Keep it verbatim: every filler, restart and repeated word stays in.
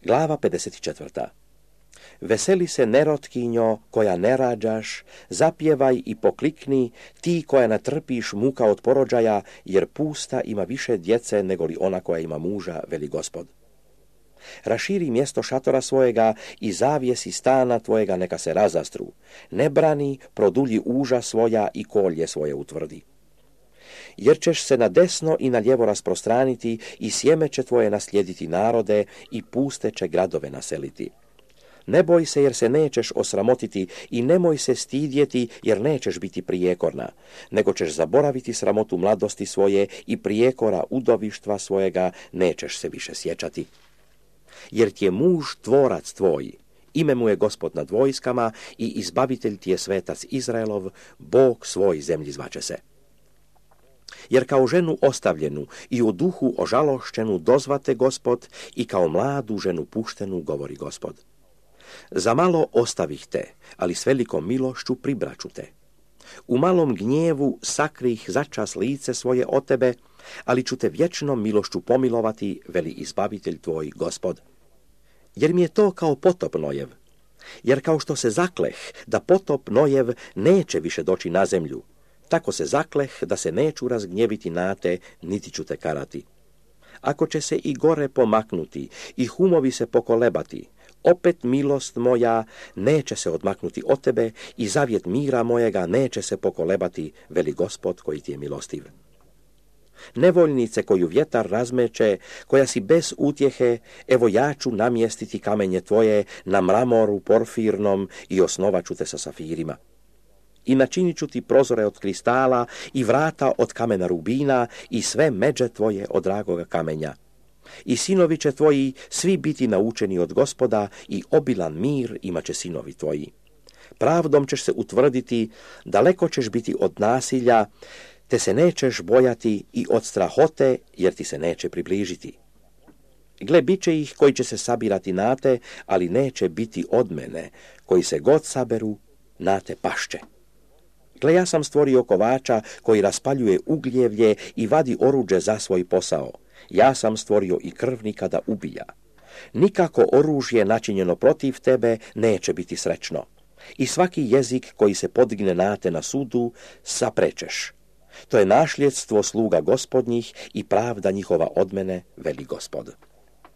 Glava pedeset četvrta. Veseli se nerotkinjo koja ne rađaš, zapjevaj i poklikni, ti koja natrpiš muka od porođaja, jer pusta ima više djece nego li ona koja ima muža, veli Gospod. Raširi mjesto šatora svojega i zavjesi stana tvojega neka se razastru. Ne brani, produlji uža svoja i kolje svoje utvrdi. Jer ćeš se na desno i na lijevo rasprostraniti i sjeme će tvoje naslijediti narode i puste će gradove naseliti. Ne boj se jer se nećeš osramotiti i nemoj se stidjeti jer nećeš biti prijekorna, nego ćeš zaboraviti sramotu mladosti svoje i prijekora udovištva svojega nećeš se više sjećati. Jer ti je muž tvorac tvoj, ime mu je Gospod nad vojskama i izbavitelj ti je svetac Izraelov, Bog svoj zemlji zvaće se. Jer kao ženu ostavljenu i u duhu ožalošćenu dozvate Gospod i kao mladu ženu puštenu govori Gospod. Za malo ostavih te, ali s velikom milošću pribraću te. U malom gnjevu sakrih začas lice svoje od tebe, ali ću te vječnom milošću pomilovati, veli izbavitelj tvoj Gospod. Jer mi je to kao potop Nojev, jer kao što se zakleh da potop Nojev neće više doći na zemlju, tako se zakleh da se neću razgnjeviti na te, niti ću te karati. Ako će se i gore pomaknuti i humovi se pokolebati, opet milost moja neće se odmaknuti od tebe i zavjet mira mojega neće se pokolebati, veli Gospod koji ti je milostiv. Nevoljnice koju vjetar razmeće, koja si bez utjehe, evo ja ću namjestiti kamenje tvoje na mramoru porfirnom i osnovat ću te sa safirima. I načinit ću ti prozore od kristala i vrata od kamena rubina i sve međe tvoje od dragoga kamenja. I sinovi će tvoji svi biti naučeni od Gospoda i obilan mir imat će sinovi tvoji. Pravdom ćeš se utvrditi, daleko ćeš biti od nasilja, te se nećeš bojati i od strahote, jer ti se neće približiti. Gle, bit će ih koji će se sabirati na te, ali neće biti od mene, koji se god saberu, na te pašće. Gle, ja sam stvorio kovača koji raspaljuje ugljevlje i vadi oruđe za svoj posao. Ja sam stvorio i krvnika da ubija. Nikako oružje načinjeno protiv tebe neće biti srećno. I svaki jezik koji se podigne na te na sudu, saprečeš. To je našljedstvo sluga Gospodnjih i pravda njihova od mene, veli Gospod.